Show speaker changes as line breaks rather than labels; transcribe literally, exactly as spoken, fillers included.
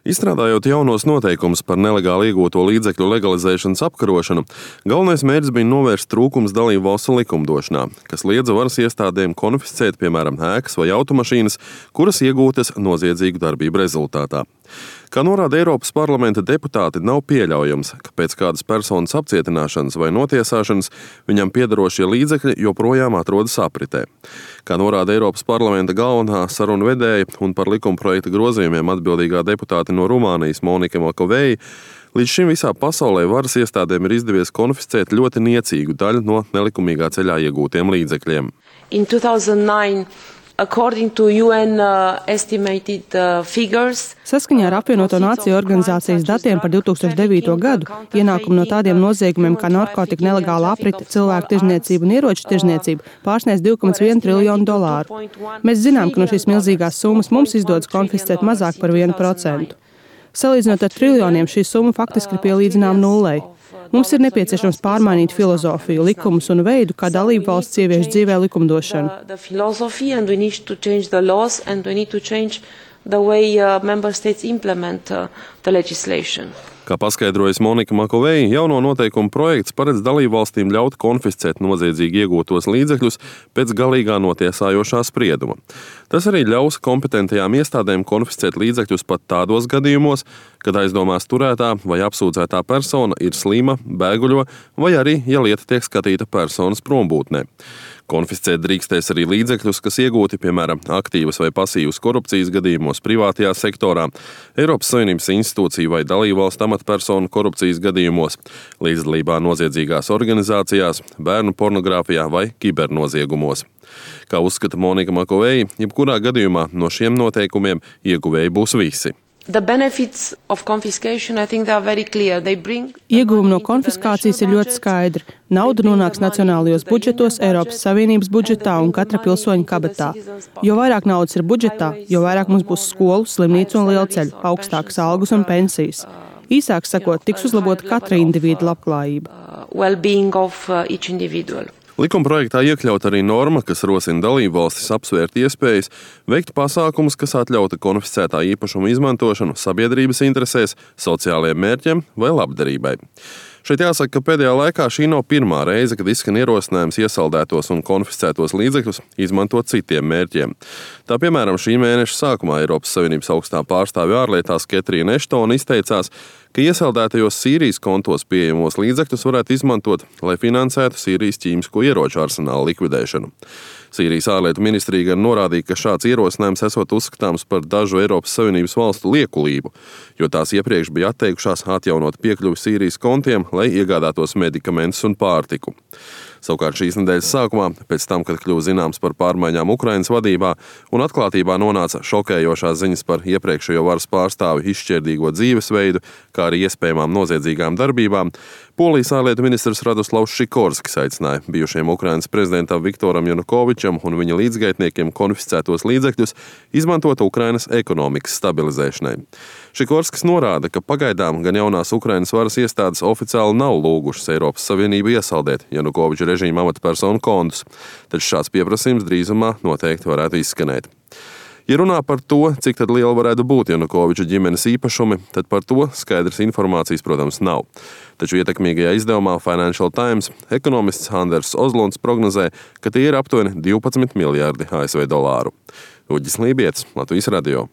Izstrādājot jaunos noteikumus par nelegāli iegūto līdzekļu legalizēšanas apkarošanu, galvenais mērķis bija novērst trūkums dalību valstu likumdošanā, kas liedza varas iestādēm konfiscēt, piemēram, ēkas vai automašīnas, kuras iegūtas noziedzīgu darbību rezultātā. Kā norāda Eiropas parlamenta deputāti, nav pieļaujams, ka pēc kādas personas apcietināšanas vai notiesāšanas viņam piederošie līdzekļi joprojām atrodas apritē. Kā norāda Eiropas parlamenta galvenā sarunu vedēja un par likumprojekta grozījumiem atbildīgā deputāte no Rumānijas Monika Makoveja, līdz šim visā pasaulē varas iestādēm ir izdevies konfiscēt ļoti niecīgu daļu no nelikumīgā ceļā iegūtiem līdzekļiem.
In two thousand nine, according to U N uh, estimated uh, figures,
Saskaņā ar apvienoto nāciju organizācijas datiem par divi tūkstoši devīto gadu ienākumu no tādiem noziegumiem kā narkotika nelegāla aprite, cilvēku tirzniecība un ieroču tirzniecība pārsniedz divi komats viens triljonu dolāru. Mēs zinām, ka no šīs milzīgās summas mums izdodas konfiscēt mazāk par vienu procentu. Salīdzinot ar triljoniem, šī summa faktiski ir pielīdzināma nullei. Mums ir nepieciešams pārmainīt filozofiju, likumus un veidu, kā dalību valsts ievieš dzīvē likumdošanu.
The way uh, member states implement uh, the legislation.
Kā paskaidrojas Monika Makoveja, jauno noteikumu projekts paredz dalībvalstīm ļaut konfiscēt noziedzīgi iegūtos līdzekļus pēc galīgā notiesājošā sprieduma. Tas arī ļaus kompetentajām iestādēm konfiscēt līdzekļus pat tādos gadījumos, kad aizdomās turētā vai apsūdzētā persona ir slima, bēguļo vai arī, ja lieta tiek skatīta personas prombūtnē. Konfiscēt drīkstēs arī līdzekļus, kas iegūti, piemēram, aktīvas vai pasīvas korupcijas gadījumos privātajā sektorā, Eiropas Savienības institūciju vai dalībvalstu amatpersonu korupcijas gadījumos, līdzdalībā noziedzīgās organizācijās, bērnu pornogrāfijā vai kibernoziegumos. Kā uzskata Monika Makoveja, jebkurā gadījumā no šiem noteikumiem ieguvēji būs visi.
The benefits of confiscation, I think they are very clear. They bring
Ieguvumi no konfiskācijas ir ļoti skaidri. Nauda nonāks nacionālajos budžetos, Eiropas Savienības budžetā un katra pilsoņa kabatā. Jo vairāk naudas ir budžetā, jo vairāk mums būs skolu, slimnīcu un lielceļu, augstākas algas un pensijas. Īsāk sakot, tiks uzlabota katra individa labklājība.
well-being of uh, each individual.
Likumprojektā iekļaut arī norma, kas rosina dalībvalstis apsvērt iespējas veikt pasākumus, kas atļauta konfiscētā īpašuma izmantošanu sabiedrības interesēs, sociālajiem mērķiem vai labdarībai. Šeit jāsaka, ka pēdējā laikā šī nav pirmā reize, kad izskan ierosinājums iesaldētos un konfiscētos līdzekļus izmantot citiem mērķiem. Tā piemēram, šī mēneša sākumā Eiropas Savienības augstā pārstāve ārlietās Ketrīna Eštona izteicās, ka iesaldētajos Sīrijas kontos pieejamos līdzekļus varētu izmantot, lai finansētu Sīrijas ķīmisko ieroču arsenālu likvidēšanu. Sīrijas ārlietu ministrija gan norādīja, ka šāds ierosinājums esot uzskatāms par dažu Eiropas Savienības valstu liekulību, jo tās iepriekš bija atteikušās atjaunot piekļuvi Sīrijas kontiem, lai iegādātos medikamentus un pārtiku. Savukārt šīs nedēļas sākumā, pēc tam, kad kļuva zināms par pārmaiņām Ukrainas vadībā un atklātībā nonāca šokējošās ziņas par iepriekšējo varas pārstāvi izšķirdīgo dzīvesveidu, kā arī iespējamām noziedzīgām darbībām, Polijas ārlietu ministrs Radoslavs Šikorskis aicināja bijušajam Ukrainas prezidentam Viktoram Janukovičam un viņa līdzgaitniekiem konfiscētos līdzekļus izmantot Ukrainas ekonomikas stabilizēšanai. Šikorskis norāda, ka pagaidām gan jaunās Ukrainas varas iestādes oficiāli nav lūgušas Eiropas Savienību iesaldēt Janukoviča režīma amatpersonu kontus, taču šāds pieprasījums drīzumā noteikti varētu izskanēt. Ja runā par to, cik tad liela varētu būt Janukoviča ģimenes īpašumi, tad par to skaidras informācijas, protams, nav. Taču ietekmīgajā izdevumā Financial Times ekonomists Anders Ozlunds prognozē, ka tie ir aptuveni divpadsmit miljārdi A S V dolāru. Uģis Lībietis, Latvijas radio.